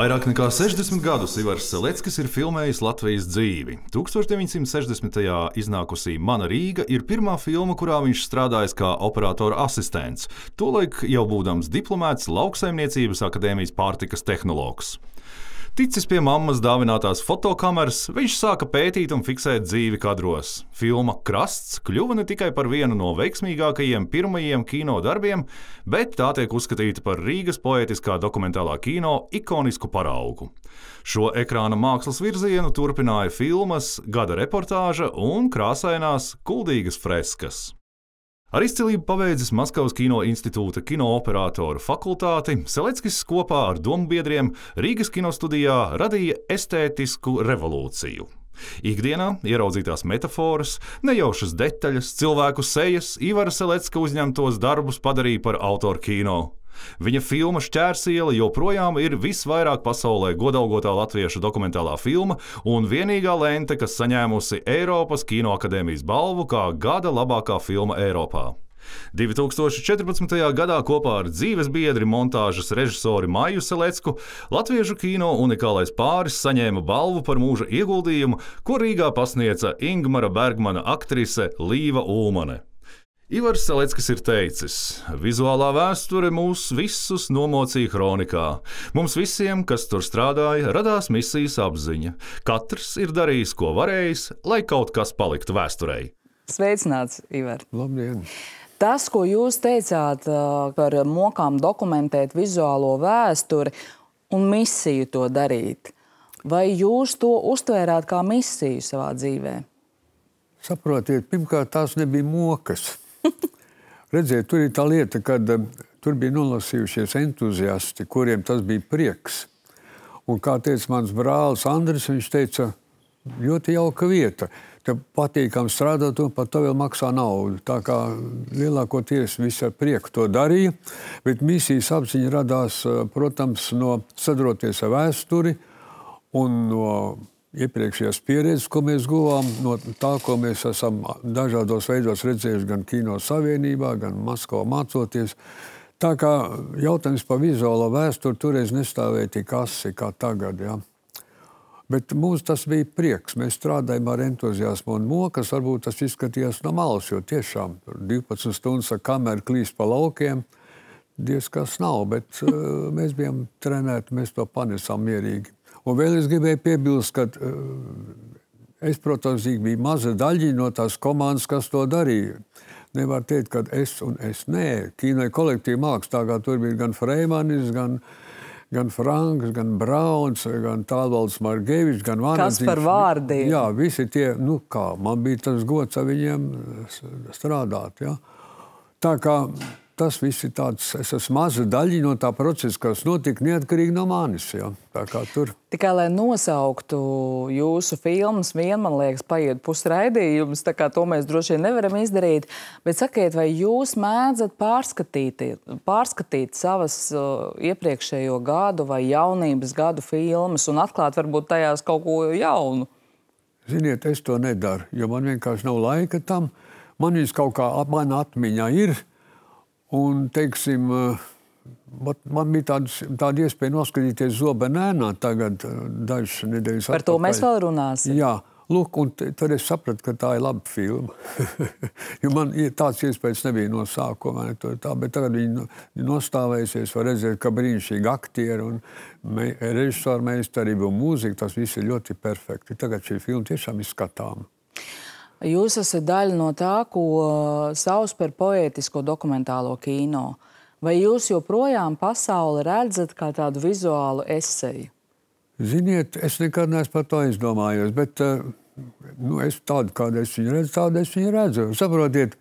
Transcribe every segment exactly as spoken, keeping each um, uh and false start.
Vairāk nekā sešdesmit gadus Ivars Seleckis ir filmējis Latvijas dzīvi. tūkstoš deviņsimt sešdesmitajā iznākusī Mana Rīga ir pirmā filma, kurā viņš strādājis kā operatora asistents, tolaik jau būdams diplomēts Lauksaimniecības akadēmijas pārtikas tehnologs. Ticis pie mammas dāvinātās fotokameras, viņš sāka pētīt un fiksēt dzīvi kadros. Filma Krasts kļuva ne tikai par vienu no veiksmīgākajiem pirmajiem kino darbiem, bet tā tiek uzskatīta par Rīgas poētiskā dokumentālā kino ikonisku paraugu. Šo ekrāna mākslas virzienu turpināja filmas, gada reportāža un krāsainās kuldīgas freskas. Ar izcilību pabeidzis Maskavas Kino institūta kinooperatoru fakultāti, Seleckis kopā ar dombiedriem Rīgas kinostudijā radīja estētisku revolūciju. Ikdienā ieraudzītās metaforas, nejaušas detaļas, cilvēku sejas Ivara Selecka uzņemtos darbus padarīja par autoru kino. Viņa filma Šķērsiela joprojām ir visvairāk pasaulē godalgotā latviešu dokumentālā filma un vienīgā lente, kas saņēmusi Eiropas Kinoakadēmijas balvu kā gada labākā filma Eiropā. divi tūkstoši četrpadsmitajā gadā kopā ar dzīvesbiedri montāžas režisori Maiju Selecku latviešu kino unikālais pāris saņēma balvu par mūža ieguldījumu, ko Rīgā pasniedza Ingmara Bergmana aktrise Līva Ulmane. Ivars Seleckis ir teicis: vizuālā vēsture mūs visus nomocīja kronikā. Mums visiem, kas tur strādāja, radās misijas apziņa. Katrs ir darījis, ko varējis, lai kaut kas paliktu vēsturei. Sveicināts, Ivar! Labdien! Tas, ko jūs teicāt par mokām dokumentēt vizuālo vēsturi un misiju to darīt, vai jūs to uztvērāt kā misiju savā dzīvē? Saprotiet, pirmkārt, tās nebija mokas. Redziet, tur ir tā lieta, kad uh, tur bija nolasījušies entuziasti, kuriem tas bija prieks. Un kā teica mans brālis Andris, viņš teica, ļoti jauka vieta. Te patīkam strādāt un par to vēl maksā naudu. Tā kā lielākoties visi ar prieku to darīja, bet misijas apziņa radās, uh, protams, no sadroties ar vēsturi un no iepriekšējās pieredzes, ko mēs guvām, no tā, ko mēs esam dažādos veidos redzējuši gan Kino Savienībā, gan Maskavā mācoties. Tā kā jautājums par vizuālo vēsturi toreiz nestāvēja tik asi kā tagad. Ja. Bet mums tas bija prieks. Mēs strādājam ar entuziasmu un mokas. Varbūt tas izskatījās no malas, jo tiešām divpadsmit stundas ar kameru klīst pa laukiem. Diez kas nav, bet uh, mēs bijām trenēti, mēs to panesām mierīgi. Un vēl es gribēju piebilst, ka es, protams, biju maza daļiņa no tās komandas, kas to darīja. Nevar teikt, ka es un es nē. Kino kolektīva māksla, tā kā tur bija gan Freimanis, gan, gan Franks, gan Brauns, gan Tālvalds Margevičs, gan Vanadziņš. Kas par vārdiem? Jā, visi tie, nu kā, man bija tas gods ar viņiem strādāt, jā. Tā kā tas viss ir tāds, es esmu maza daļiņa no tā procesa, kas notika neatkarīgi no manis. Ja? Tā kā tur. Tikai, lai nosauktu jūsu filmas, vien, man liekas, paiet pusraidījums, tā kā to mēs droši vien nevaram izdarīt. Bet sakiet, vai jūs mēdzat pārskatīt, pārskatīt savas uh, iepriekšējo gadu vai jaunības gadu filmas un atklāt varbūt tajās kaut ko jaunu? Ziniet, es to nedaru, jo man vienkārši nav laika tam. Man viņas kaut kā man atmiņā ir. Un, teiksim, man bija tāds, tāda iespēja noskatīties Zobenēnā tagad dažas nedēļas atpakaļ. Par to mēs vēl runāsim. Jā, lūk, un tad es sapratu, ka tā ir laba filma. Jo man tāds iespējas nebija no sākuma, tā, bet tagad viņi nostāvējusies, var redzēt, ka brīnišķīgi aktieri un režisoru meistarība un mūzika, tas viss ir ļoti perfekti. Tagad šī filma tiešām ir skatāma. Jūs esat daļa no tā, ko sauc par poētisko dokumentālo kino. Vai jūs joprojām pasauli redzat kā tādu vizuālu eseju? Ziniet, es nekad neesmu par to izdomājos, bet nu, es tādu, kādu es viņu redzu, tādu es viņu redzu. Saprotiet,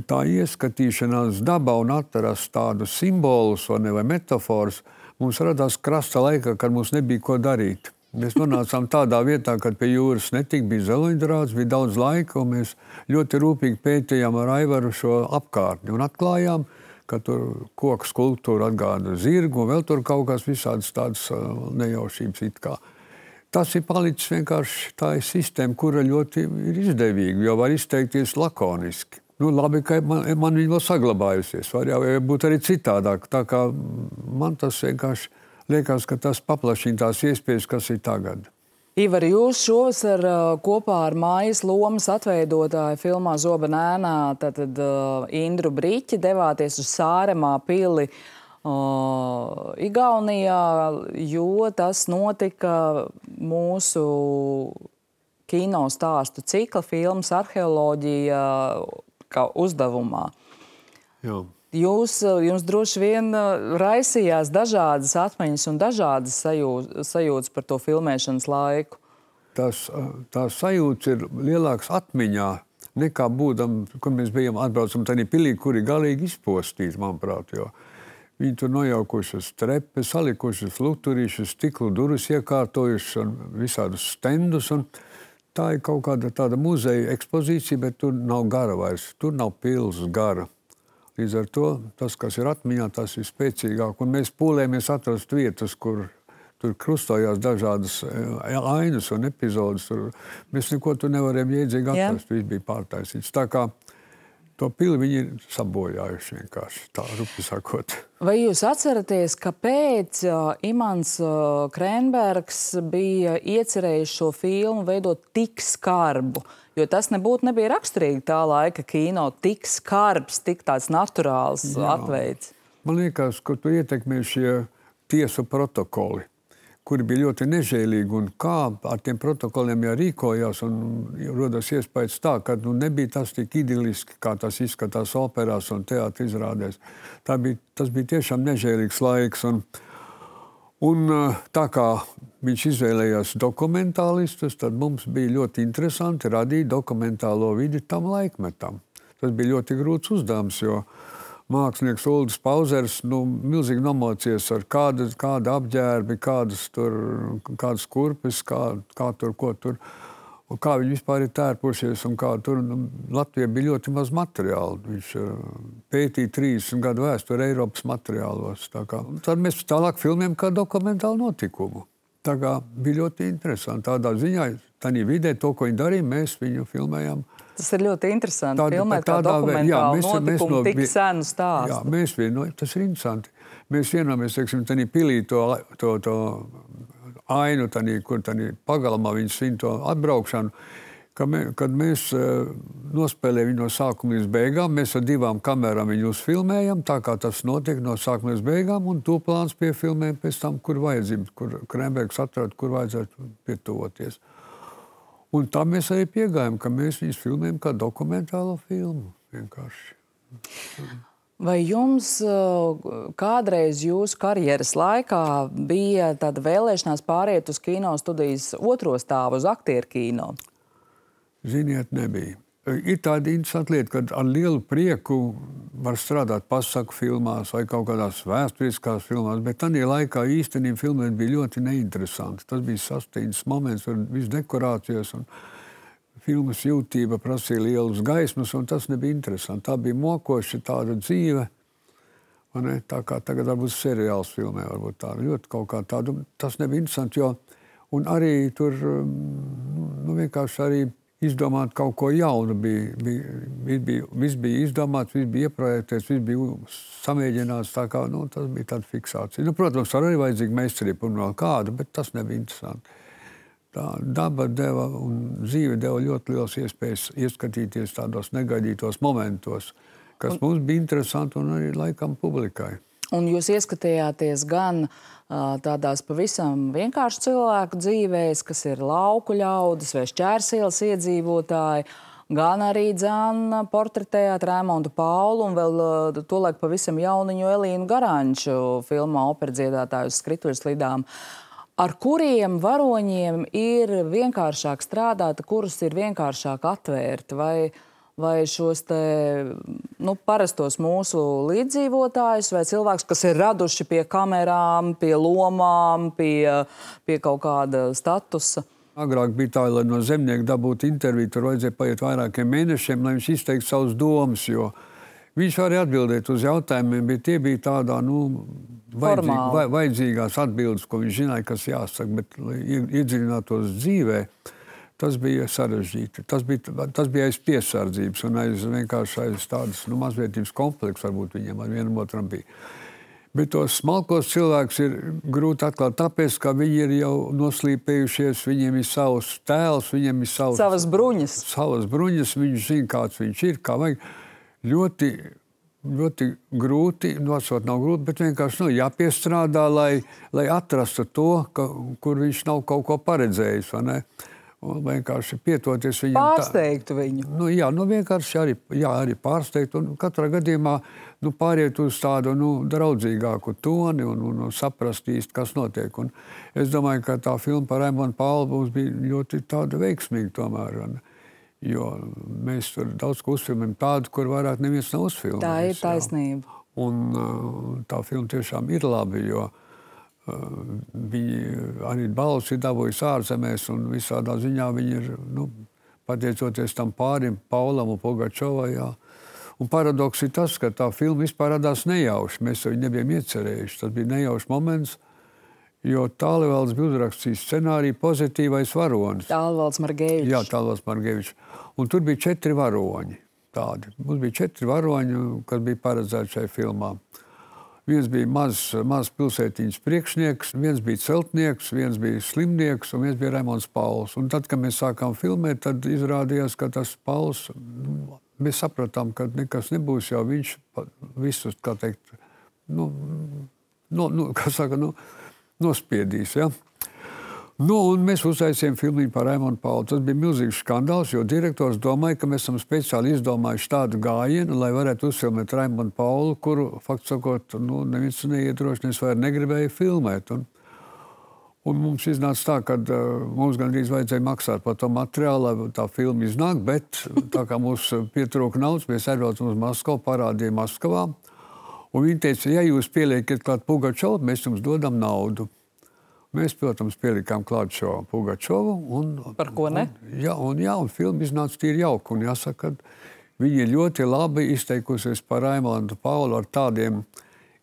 tā ieskatīšanās dabā un atrast tādu simbolus vai, ne, vai metaforus, mums radās krasta laikā, kad mums nebija ko darīt. Mēs nonācām tādā vietā, kad pie jūras netika, bija zeloņdrāts, bija daudz laika, un mēs ļoti rūpīgi pētījām ar Aivaru šo apkārtni un atklājām, ka tur koku skulptūra atgāda zirgu, un vēl tur kaut kas visādas tādas nejaušības it kā. Tas ir palicis vienkārši tā sistēma, kura ļoti ir izdevīga, jo var izteikties lakoniski. Nu, labi, ka man, man viņa vēl saglabājusies, var jau būt arī citādāk, tā kā man tas vienkārši liekas, ka tas paplašina tās iespējas, kas ir tagad. Ivar, jūs šovasar kopā ar mājas lomas atveidotāju filmā Zobena ēnā, tātad uh, Indru Briķi, devāties uz Sāremā pili uh, Igaunijā, jo tas notika mūsu kino stāstu cikla filmas Arheoloģija kā uzdevumā. Jā. Jūs, jums droši vien raisījās dažādas atmiņas un dažādas sajūtas, sajūtas par to filmēšanas laiku. Tas, tās sajūtas ir lielāks atmiņā nekā būdam, kad mēs bijām atbraucam tādā pilī, kuri galīgi izpostīti, manuprāt, jo viņi tur nojaukušas trepes, salikušas luturīšas, stiklu durvis iekārtojušas un visādus stendus. Un tā ir kaut kāda tāda muzeja ekspozīcija, bet tur nav gara vairs, tur nav pils gara. Līdz ar to tas, kas ir atmiņā, tas ir spēcīgāk. Un mēs pūlējamies atrast vietas, kur tur krustojās dažādas ainas un epizodes. Tur mēs neko tur nevarējām iedzīgi atrast. Viss bija pārtaisīts. Tā kā to pili viņi ir sabojājuši vienkārši, tā rupi sakot. Vai jūs atceraties, kāpēc Imants Krēnbergs bija iecerējis šo filmu veidot tik skarbu? Jo tas nebūtu nebija raksturīgi tā laika kino, tik skarbs, tik tāds naturāls atveids. Man liekas, ka tur ietekmē šie tiesu protokoli, kuri bija ļoti nežēlīgi, un kā ar tiem protokoliem jārīkojās, un rodas iespējas tā, ka nu, nebija tas tik idiliski, kā tas izskatās operās un teātra izrādēs. Tā bija, tas bija tiešām nežēlīgs laiks, un Un tā kā viņš izvēlējās dokumentālistus, tad mums bija ļoti interesanti radīt dokumentālo vidi tam laikmetam. Tas bija ļoti grūts uzdevums, jo mākslinieks Uldis Pauzers nu, milzīgi nomocījās ar kāda, kāda apģērbi, kādas, tur, kādas kurpes, kā, kā tur, ko tur, un kā viņi vispār ir tērpušies, un kā tur nu, Latvijā bija ļoti maz materiālu. Viņš pētīja trīsdesmit gadu vēsturi Eiropas materiālos. Tā kā, tad mēs tālāk filmējam kā dokumentālu notikumu. Tā kā bija ļoti interesanti. Tādā ziņā, tādā vidē, to, ko viņi darīja, mēs viņu filmējam. Tas ir ļoti interesanti, Tāda, filmēt kā dokumentālu jā, mēs, notikumu, mēs no, tik senu stāstu. Jā, mēs vieno, tas ir interesanti. Mēs vienojamies, teiksim, tādā pilī to, to, to ainu, tādī, kur tādī pagalmā viņi svin to atbraukšanu, ka mē, kad mēs uh, nospēlējam viņu no sākuma līdz beigām, mēs ar divām kamerām viņu uzfilmējam, tā kā tas notiek no sākuma līdz beigām, un to plāns piefilmējam pēc tam, kur vajadzība, kur Krēnbergs atrod, kur vajadzētu pietuvoties. Un tā mēs arī piegājam, ka mēs viņus filmējam kā dokumentālo filmu vienkārši. Vai jums kādreiz jūsu karjeras laikā bija tāda vēlēšanās pāriet uz kino studijas otro stāvu, uz aktieru kino? Ziniet, nebija. Ir tāda interesanta lieta, ka ar lielu prieku var strādāt pasaku filmās vai kaut kādās vēsturiskās filmās, bet tādā laikā īstenībā filmēt bija ļoti neinteresanti. Tas bija sasteigts moments, ar visu dekorācijas un filmas jūtība prasīja lielus gaismas, un tas nebija interesanti. Tā bija mokoša tāda dzīve, un ne, tā kā tagad varbūt seriāls filmē, varbūt tā ļoti kaut kā tādu. Tas nebija interesanti, jo, un arī tur, nu, vienkārši arī izdomāt kaut ko jaunu bija, bija, bija, viss bija izdomāts, viss bija ieprojektēts, viss bija samēģināts, tā kā, nu, tas bija tāda fiksācija. Nu, protams, arī vajadzīga meistarība un vēl kāda, bet tas nebija interesanti. Tā daba deva un dzīve deva ļoti liels iespējas ieskatīties tādos negaidītos momentos, kas mums bija interesanti un arī laikam publikai. Un jūs ieskatījāties gan uh, tādās pavisam vienkārši cilvēku dzīvēs, kas ir lauku ļaudis vai Šķērsielas iedzīvotāji, gan arī dzēn portretējāt Raimondu Paulu un vēl uh, tolaik pavisam jauniņu Elīnu Garanču filmā Operadziedātāju uz skrituļslidām. Ar kuriem varoņiem ir vienkāršāk strādāt, kurus ir vienkāršāk atvērt? Vai, vai šos te, nu, parastos mūsu līdzdzīvotājus, vai cilvēks, kas ir raduši pie kamerām, pie lomām, pie, pie kaut kāda statusa? Agrāk bija tā, lai no zemnieka dabūtu interviju, tur vajadzēja paiet vairākiem mēnešiem, lai viņš izteiktu savus domas, jo viņš varēja atbildēt uz jautājumiem, bet tie bija tādā, nu, vajadzīg, vai, vajadzīgās atbildes, ko viņš zināja, kas jāsaka, bet, lai iedziļinātos dzīvē, tas bija sarežģīti. Tas bija, tas bija aiz piesardzības un aiz vienkārši aiz tādas, nu, mazvietības komplekss varbūt viņiem ar vienam otram bija. Bet tos smalkos cilvēkus ir grūti atklāt, tāpēc, ka viņi ir jau noslīpējušies, viņiem ir savs tēls, viņiem ir savs, savas bruņas. Savas bruņas, viņš zina, kāds viņš ir, kā vajag. Ļoti, ļoti grūti, nosot nav grūti, bet vienkārši nu, jāpiestrādā, lai, lai atrastu to, ka, kur viņš nav kaut ko paredzējis, vai ne? Un vienkārši pietoties viņam. Pārsteigtu tā, viņu. Nu, jā, nu vienkārši arī, jā, arī pārsteigt. Un katrā gadījumā nu, pāriet uz tādu nu, draudzīgāku toni un, un, un saprast īsti, kas notiek. Un es domāju, ka tā filma par Raimonu Paulu mums bija ļoti tāda veiksmīga tomēr. Un, jo mēs tur daudz ko uzfilmējam tādu, kur vairāk neviens nav uzfilmējis. Tā ir taisnība. Jā. Un tā filma tiešām ir labi, jo viņi arī balvas ir dabūjusi ārzemēs un visādā ziņā viņi ir, nu, pateicoties tam pārim, Paulam un Pugačovai, jā. Un paradoks ir tas, ka tā filma vispār radās nejauši. Mēs to nebijām iecerējuši. Tas bija nejaušs moments, jo Tālivalds bija uzrakstījis scenāriju Pozitīvais varonis. Tālivalds Margevičs. Jā, Tālivalds Margevičs. Un tur bija četri varoņi tādi. Mums bija četri varoņi, kas bija paredzēti šai filmā. Viens bija mazs maz pilsētiņas priekšnieks, viens bija celtnieks, viens bija slimnieks un viens bija Raimons Pauls. Un tad, kad mēs sākām filmēt, tad izrādījās, ka tas Pauls, mēs sapratām, ka nekas nebūs, jau viņš visus, kā teikt, nu, no, nu, kā saka, nu, nospiedīs, ja? Nu, un mēs uztaisījām filmiņu par Raimonu Paulu. Tas bija milzīgs skandāls, jo direktors domāja, ka mēs esam speciāli izdomājuši tādu gājienu, lai varētu uzfilmēt Raimonu Paulu, kuru, fakts sakot, nu, neviens neiedrošinies vai negribēja filmēt. Un, un mums iznāca tā, ka uh, mums gandrīz vajadzēja maksāt par to materiālu, lai tā filma iznāk, bet tā kā mums pietrūka naudas, mēs aizbraucam uz Maskavu, parādījām Maskavā. Un viņi teica, ja jūs pieliekat klāt Pugačovu, mēs jums dodam naudu. Mēs, protams, pielikām klāt šo Pugačovu. Un, par ko ne? Un, jā, un, jā, un filma iznāca tīri jauka. Un jāsaka, ka viņi ir ļoti labi izteikusies par Raimonu Paulu ar tādiem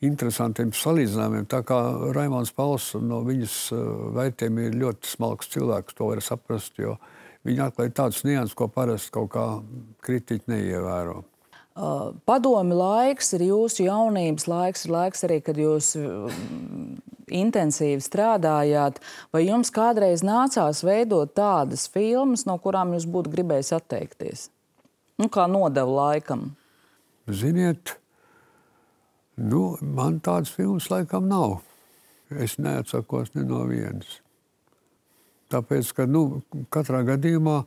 interesantiem salīdzinājumiem. Tā kā Raimons Pauls no viņas vērtējiem ir ļoti smalks cilvēks, to var saprast, jo viņi atklāja tādus nianses, ko parasti kaut kā kritiķi neievēro. Uh, padomi laiks ir jūsu jaunības laiks, ir laiks arī, kad jūs uh, intensīvi strādājāt. Vai jums kādreiz nācās veidot tādas filmas, no kurām jūs būtu gribējis atteikties? Nu, kā nodevu laikam? Ziniet, nu, man tādas filmas laikam nav. Es neatsakos ne no vienas. Tāpēc, ka, nu, katrā gadījumā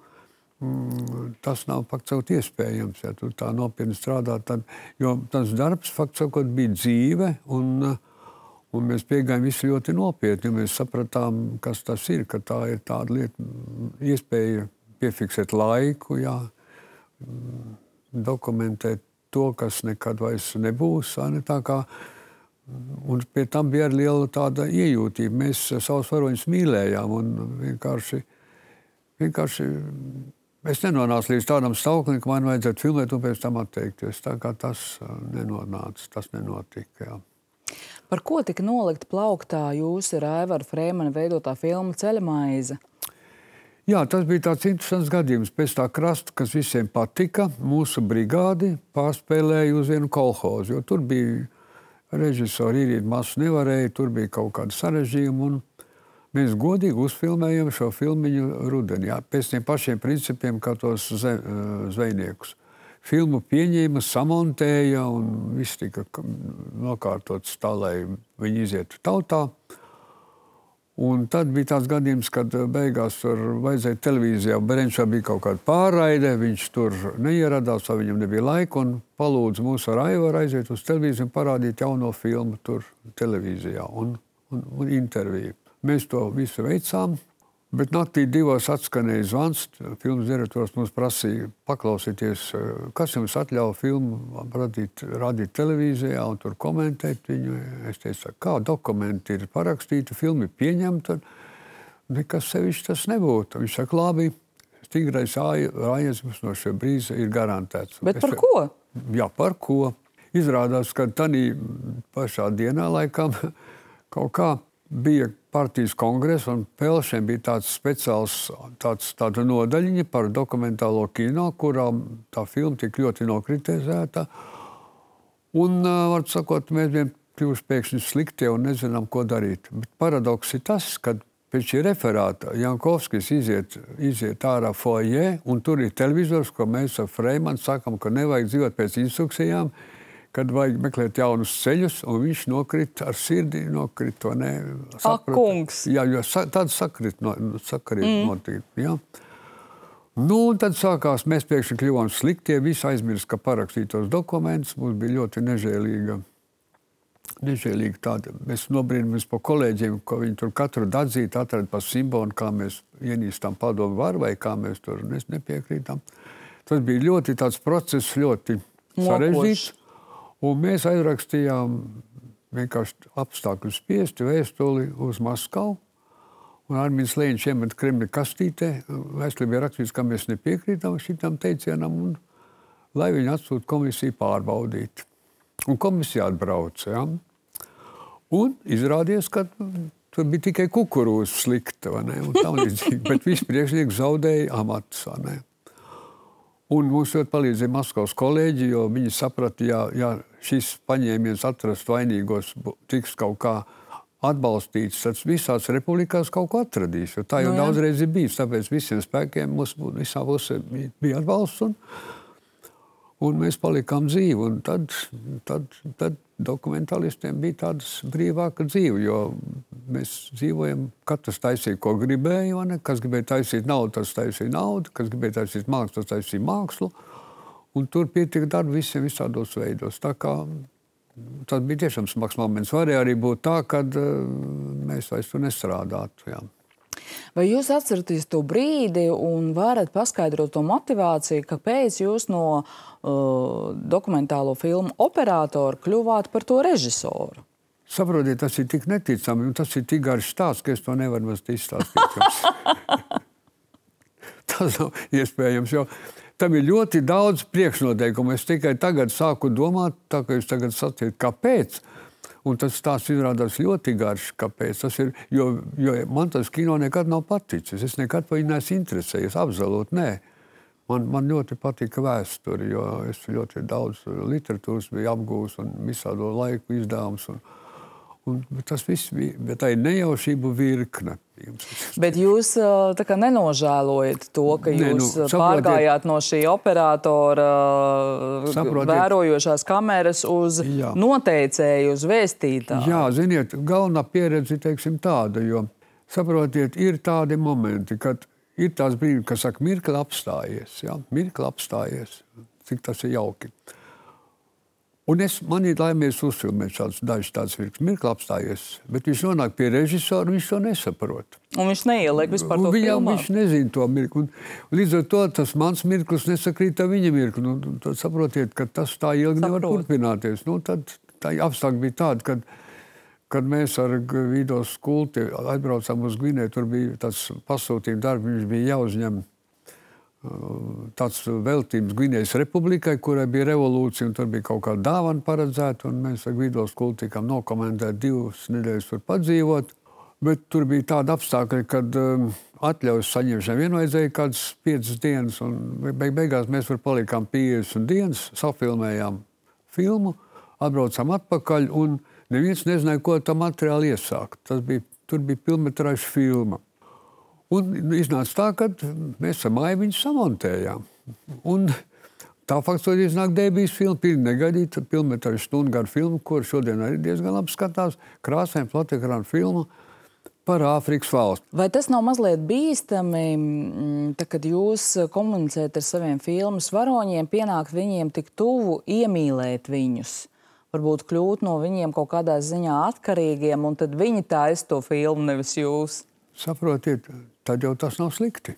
Mm, tas nav faktiski iespējams, ja tu tā nopietni strādā. Tad, jo tas darbs faktiski bija dzīve, un, un mēs piegājām visi ļoti nopietni. Mēs sapratām, kas tas ir, ka tā ir tāda lieta, iespēja piefiksēt laiku, jā, dokumentēt to, kas nekad vairs nebūs. Ne, tā kā, un pie tam bija arī liela tāda iejūtība. Mēs savus varoņus mīlējām un vienkārši, vienkārši es nenonācu līdz tādam stāvoklim, ka man vajadzētu filmēt un pēc tam atteikties. Tā kā tas nenonāca, tas nenotika. Jā. Par ko tika nolikta plauktā jūsu ar Aivaru Freimanu veidotā filma Ceļamaize? Jā, tas bija tāds interesants gadījums. Pēc tā krasta, kas visiem patika, mūsu brigādi pārspēlēja uz vienu kolhozu, jo tur bija režisori Irīna Masu nevarēja, tur bija kaut kāda sarežģījuma un mēs godīgi uzfilmējam šo filmiņu rudenī, jā, pēc tiem pašiem principiem, kā tos zvejniekus. Filmu pieņēma, samontēja un viss tika nokārtots tā, lai viņi izietu tautā. Un tad bija tāds gadījums, kad beigās tur vajadzēja televīzijā. Berenčā bija kaut kāda pārraide, viņš tur neieradās, vai viņam nebija laika, un palūdza mūs ar Aivaru aiziet uz televīziju un parādīt jauno filmu tur televīzijā un, un, un interviju. Mēs to visu veicām, bet naktī divos atskanēja zvans. Filmas direktors mums prasīja paklausīties, kas jums atļauj filmu radīt, radīt televīzijā un tur komentēt viņu. Es teicu, kā dokumenti ir parakstīti, filmi pieņemta, nekas sevišķi tas nebūtu. Viņš saka, labi, stingrais aizjums no šie brīža ir garantēts. Bet par es, ko? Jā, par ko. Izrādās, ka tanī pašā dienā laikam kaut kā bija partijas kongress, un Pelšiem bija tāds speciāls, tāds, tāda nodaļiņa par dokumentālo kino, kurā tā filma tik ļoti nokritizēta. Un, var sakot, mēs bijām kļūst pēkšņi sliktie un nezinām, ko darīt. Bet paradoks ir tas, ka pēc šī referāta Jankovskis iziet, iziet ārā foajē, un tur ir televizors, ko mēs ar Freimanu sakam, ka nevajag dzīvot pēc instrukcijām, kad vajag meklēt jaunus ceļus, un viņš nokrit ar sirdi, nokrit to ne... Ak, kungs! Jā, jo sa, tad sakrit, no, sakrit mm. notiek, jā. Nu, un tad sākās, mēs pēkšņi kļuvām sliktie, visi aizmirst, ka parakstītos dokumentus, mums bija ļoti nežēlīga, nežēlīga tāda. Mēs nobrīnamies pa kolēģiem, ko viņi tur katru datzīti atrada pa simbolu, kā mēs ienīstam padomu varu, vai kā mēs tur nepiekrītam. Tas bija ļoti tāds process, ļoti sarežģīts. Un mēs aizrakstījām vienkārši apstākļu spiesti vēstuli uz Maskavu. Un Armīns Lēņš iemet Kremļa kastītē. Vēstulē bija rakstīts, ka mēs nepiekrītam šitam teicienam, un lai viņi atsūta komisiju pārbaudīt. Un komisija atbrauca, ja? Un izrādījās, ka tur bija tikai kukurūza slikta, vai ne? Un tam līdzīgi, bet visi priekšnieki zaudēja amatus, vai ne? Un mums ļoti palīdzēja Maskavas kolēģi, jo viņi saprata, ja, ja šis paņēmiens atrast vainīgos tiks kaut kā atbalstīts, tad visās republikās kaut ko atradīs. Jo tā jau no, daudzreiz ir bijis, tāpēc visiem spēkiem mums visā pusē bija atbalsts, un, un mēs palikām dzīvi. Un tad, tad, tad dokumentālistiem bija tādas brīvāka dzīve, jo mēs dzīvojam, katrs taisīja, ko gribēja, ne? Kas gribēja taisīt naudu, tas taisīja naudu, kas gribēja taisīt mākslu, tas taisīja mākslu, un tur pietika darba visiem visādos veidos. Tā kā tas bija tiešām smags moments. Varēja arī būt tā, kad uh, mēs vairs tur nestrādātu, jā. Vai jūs atceraties to brīdi un varat paskaidrot to motivāciju, kāpēc jūs no uh, dokumentālo filmu operātora kļuvāt par to režisoru? Saprotiet, tas ir tik neticami, un tas ir tik garš stāsts, ka es to nevaru maz izstāstīt. Tas nav iespējams, jo tam ir ļoti daudz priekšnoteikumu. Es tikai tagad sāku domāt, tā kā jūs tagad sacījat, kāpēc? Un tas stāsts izrādās ļoti garš, kāpēc. Tas ir, jo, jo man tas kino nekad nav paticis. Es nekad par viņu neesmu interesējies, absolūti nē. Man, man ļoti patika vēsture, jo es ļoti daudz literatūras biju apgūs un visādo laiku izdevums. Un, un tas viss bija, bet tā ir nejaušību virkne. Bet jūs tā kā nenožēlojat to, ka jūs ne, nu, saprotiet, pārgājāt no šī operatora saprotiet, vērojošās kameras uz jā. Noteicēju, uz vēstītāju? Jā, ziniet, galvenā pieredze, teiksim, tāda, jo, saprotiet, ir tādi momenti, kad ir tās brīdi, kas saka, mirkli apstājies, jā, mirkli apstājies, cik tas ir jauki. Un es, man ir laimies uzfilmēt šādus dažus tādus virknes, mirkli apstājies, bet viņš nonāk pie režisora, viņš to nesaprot. Un viņš neieliek vispār to viņam, filmā? Viņš nezina to mirkli. Un, un līdz ar to tas mans mirklis nesakrīt ar viņa mirkli. Un tad saprotiet, ka tas tā ilgi Saprot. Nevar turpināties. Nu, tad tā apstākļi bija tādi, kad, kad mēs ar Vido Skulti aizbraucām uz Gvinēju, tur bija tāds pasūtījuma darbi, viņš bija jāuzņem tāds veltības Gvinējas republikai, kurai bija revolūcija, un tur bija kaut kāda dāvana paredzēta, un mēs ar Gvido Skulti tikām nokomentēt divas nedēļas tur padzīvot. Bet tur bija tāda apstākļa, kad um, atļaujas saņemšanai vien vajadzēja kādas piecas dienas, un beig beigās mēs var palikām piecdesmit dienas, safilmējām filmu, atbraucām atpakaļ, un neviens nezināja, ko tā materiāli iesākt. Tas bija, tur bija pilnmetrāža filma. Un iznāca tā, ka mēs ar māju viņu samontējām. Un tā faktiski iznāk debijas filma, pilni negaidīta, pilnmetrāža stundu garu filmu, kur šodien arī diezgan labi skatās, krāsaina platekrāna filma par Āfrikas valsti. Vai tas nav mazliet bīstami, tā, kad jūs komunicējat ar saviem filmas varoņiem, pienākt viņiem tik tuvu, iemīlēt viņus? Varbūt kļūt no viņiem kaut kādā ziņā atkarīgiem, un tad viņi taisa to filmu, nevis jūs? Saprotiet, tad jau tas nav slikti.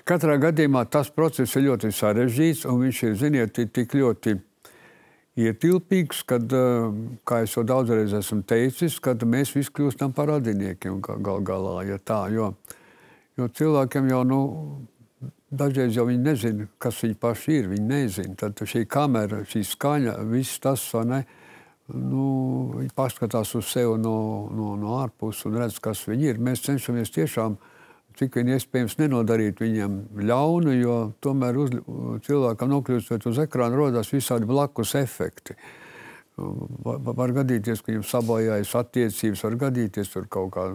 Katrā gadījumā tas process ir ļoti sarežģīts, un viņš ir, ziniet, tik ļoti ietilpīgs, kad, kā es jau daudzreiz esmu teicis, kad mēs visi kļūstam par radiniekiem gal galā, ja tā, jo, jo cilvēkiem jau, nu, dažreiz jau viņi nezina, kas viņi paši ir, viņi nezina. Tad šī kamera, šī skaņa, viss tas, vai ne, nu, viņi paskatās uz sevi no, no, no ārpus un redz, kas viņi ir. Mēs cenšamies tiešām, cik vien iespējams, nenodarīt viņiem ļaunu, jo tomēr uz, cilvēkam nokļūstot uz ekrāna rodās visādi blakus efekti. var, var gadīties, ka viņam sabojājas attiecības, var gadīties tur kaut, kā,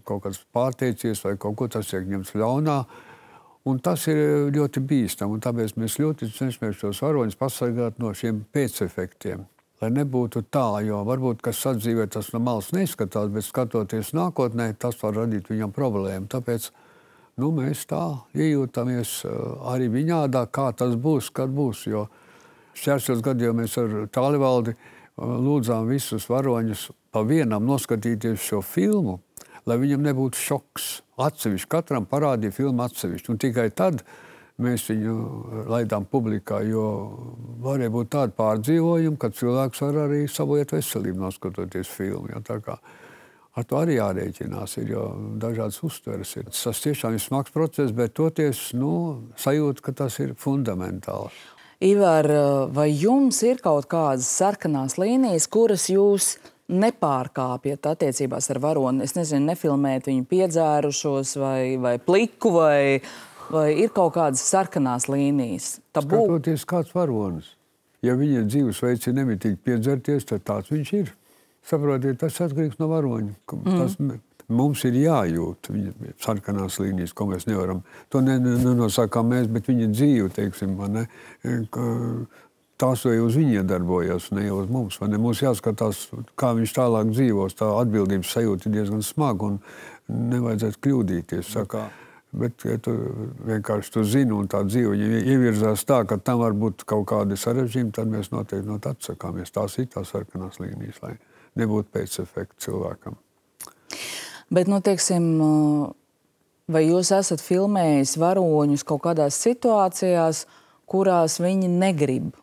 kaut kāds pārteicies vai kaut ko tas tiek ņemts ļaunā. Un tas ir ļoti bīstam, un tāpēc mēs ļoti cenšamies šos varoņus pasargāt no šiem pēcefektiem. Lai nebūtu tā, jo varbūt, kas sadzīvē, tas no malas neizskatās, bet skatoties nākotnē, tas var radīt viņam problēmu. Tāpēc nu, mēs tā iejūtamies arī viņādā, kā tas būs, kad būs. Jo šķēršos gadījumā mēs ar Tālivaldi lūdzām visus varoņus pa vienam noskatīties šo filmu, lai viņam nebūtu šoks. Atsevišķi, katram parādīja filmu atsevišķi. Un tikai tad mēs viņu laidām publikā, jo varēja būt tādi pārdzīvojumi, ka cilvēks var arī sabojāt veselību noskatoties filmu. Ja, tā kā ar to arī jārēķinās, ir, jo dažādas uztveres ir. Tas tiešām ir smags process, bet toties nu, sajūta, ka tas ir fundamentāli. Ivar, vai jums ir kaut kādas sarkanās līnijas, kuras jūs nepārkāpjat attiecībās ar varoni? Es nezinu, nefilmēt viņu piedzērušos vai, vai pliku, vai, vai ir kaut kādas sarkanās līnijas? Tabū? Skatoties kāds varonis. Ja viņa dzīvesveids ir nemitīgi piedzerties, tad tāds viņš ir. Saprotiet, tas atkarīgs no varoņa. Tas mm. mums ir jājūt viņa sarkanās līnijas, ko mēs nevaram. To nenosakām mēs, bet viņa dzīve, teiksim, ne, tās vai uz viņa darbojas, ne jau uz mums. Ne? Mums jāskatās, kā viņš tālāk dzīvos. Tā atbildības sajūta ir diezgan smaga un nevajadzētu kļūdīties. Sakā. Bet, ja tu vienkārši tu zini un tā dzīve viņa ievirzās tā, ka tam var būt kaut kādi sarežģījumi, tad mēs noteikti no tā atsakāmies. Tās ir tās sarkanās līnijas, lai nebūtu pēcefekti cilvēkam. Bet, nu, teiksim, vai jūs esat filmējis varoņus kaut kādās situācijās, kurās viņi negrib,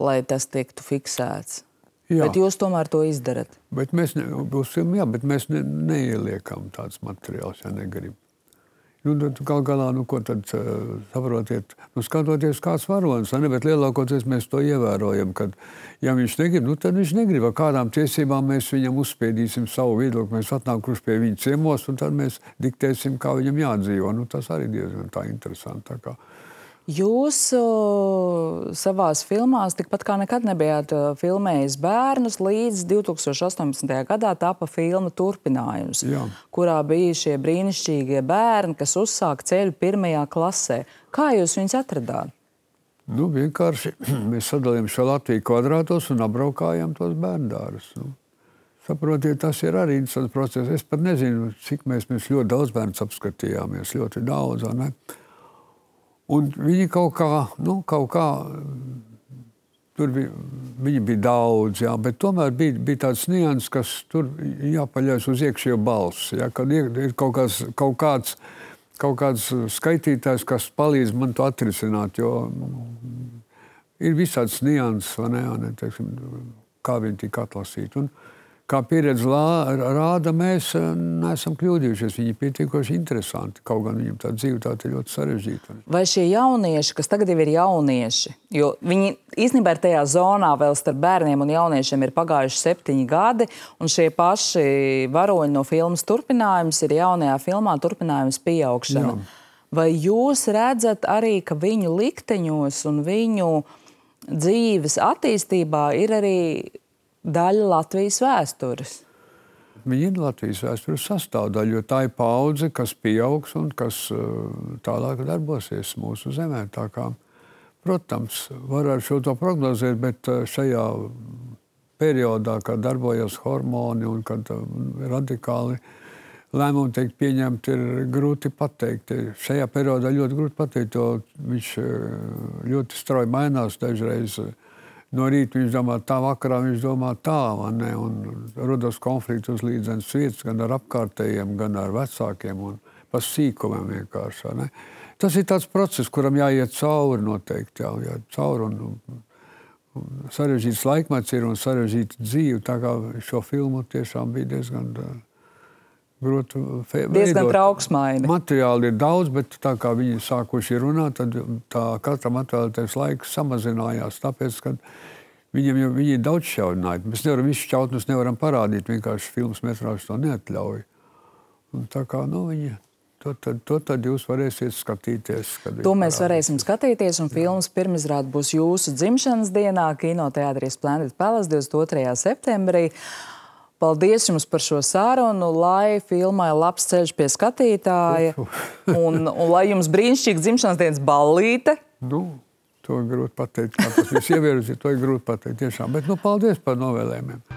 lai tas tiktu fiksēts? Jā. Bet jūs tomēr to izdarat? Bet mēs, ne, būs filmi, jā, bet mēs ne, neieliekam tāds materiāls, ja negrib. Nu, gal galā, nu, ko tad uh, saprotiet? Nu, skatoties kāds varonis, ne, bet lielākoties mēs to ievērojam, kad, ja viņš negrib, nu, tad viņš negrib. Ar kādām tiesībām mēs viņam uzspiedīsim savu viedokli, mēs atnākuši pie viņa ciemos, un tad mēs diktēsim, kā viņam jādzīvo. Nu, tas arī diezgan tā interesanti. Tā kā. Jūs uh, savās filmās tikpat kā nekad nebijāt uh, filmējis bērnus, līdz divi tūkstoši astoņpadsmitajā gadā tapa filma Turpinājums, Jā. kurā bija šie brīnišķīgie bērni, kas uzsāk ceļu pirmajā klasē. Kā jūs viņus atradāt? Nu, vienkārši mēs sadalījām šo Latviju kvadrātos un apbraukājām tos bērndārus. Nu. Saprotiet, tas ir arī interesants process. Es pat nezinu, cik mēs, mēs ļoti daudz bērnus apskatījāmies, ļoti daudz, ne? Un viņi kaut kā, nu, kaut kā, tur bija, viņi bija daudz, jā, bet tomēr bija, bija tāds nians, kas tur jāpaļaujas uz iekšējo balsi, jā, kad ir kaut kāds, kaut kāds, kaut kāds skaitītājs, kas palīdz man to atrisināt, jo ir visāds nians, vai ne, vai ne, teiksim, kā viņi tika atlasīti. Un, kā pieredze rāda, mēs neesam kļūdījušies. Viņi ir pietiekoši interesanti. Kaut gan viņiem tā dzīve tā ir ļoti sarežģīta. Vai šie jaunieši, kas tagad jau ir jaunieši, jo viņi īstenībā ir tajā zonā vēl starp bērniem un jauniešiem ir pagājuši septiņi gadi, un šie paši varoņi no filmas Turpinājums ir jaunajā filmā Turpinājums pieaugšana. Jā. Vai jūs redzat arī, ka viņu likteņos un viņu dzīves attīstībā ir arī daļa Latvijas vēstures? Viņi ir Latvijas vēstures sastāvdaļa, jo tā ir paudze, kas pieaugs un kas tālāk darbosies mūsu zemē. Tā kā, protams, var ar šo to prognozēt, bet šajā periodā, kad darbojas hormoni un kad radikāli lēmumi tiek pieņemti, ir grūti pateikt. Šajā periodā ļoti grūti pateikt, jo viņš ļoti strauji mainās dažreiz. No rīta viņš domā tā, vakarā viņš domā tā, ne? Un rodas konflikti uz līdzenas vietas, gan ar apkārtējiem, gan ar vecākiem un pa sīkumiem vienkārši. Ne? Tas ir tāds process, kuram jāiet cauri noteikti, jā, jā, cauri un, un, un sarežģīts laikmets ir un sarežģīta dzīve, tā kā šo filmu tiešām bija diezgan grūti veidot. Diezgan trauksmaini. Materiāli ir daudz, bet tā kā viņi sākuši runāt, tad tā katram atvēlētais laiks samazinājās, tāpēc, ka viņiem jau viņi ir daudz šķaudināti. Mēs nevaram visu šķautnus nevaram parādīt, vienkārši filmas metrāžas to neatļauj. Un tā kā, nu, viņi To tad, to tad jūs varēsiet skatīties. To mēs varēsim skatīties, un filmas pirmizrāde būs jūsu dzimšanas dienā Kinoteātrī Splendid Palace divdesmit otrajā septembrī. Paldies jums par šo sarunu, lai filmai labs ceļš pie skatītāja, un, un lai jums brīnišķīga dzimšanas dienas ballīte. Nu, to ir grūti pateikt, kā tas viss ievērus, to ir grūti pateikt tiešām. Bet, nu, paldies par novēlējumiem.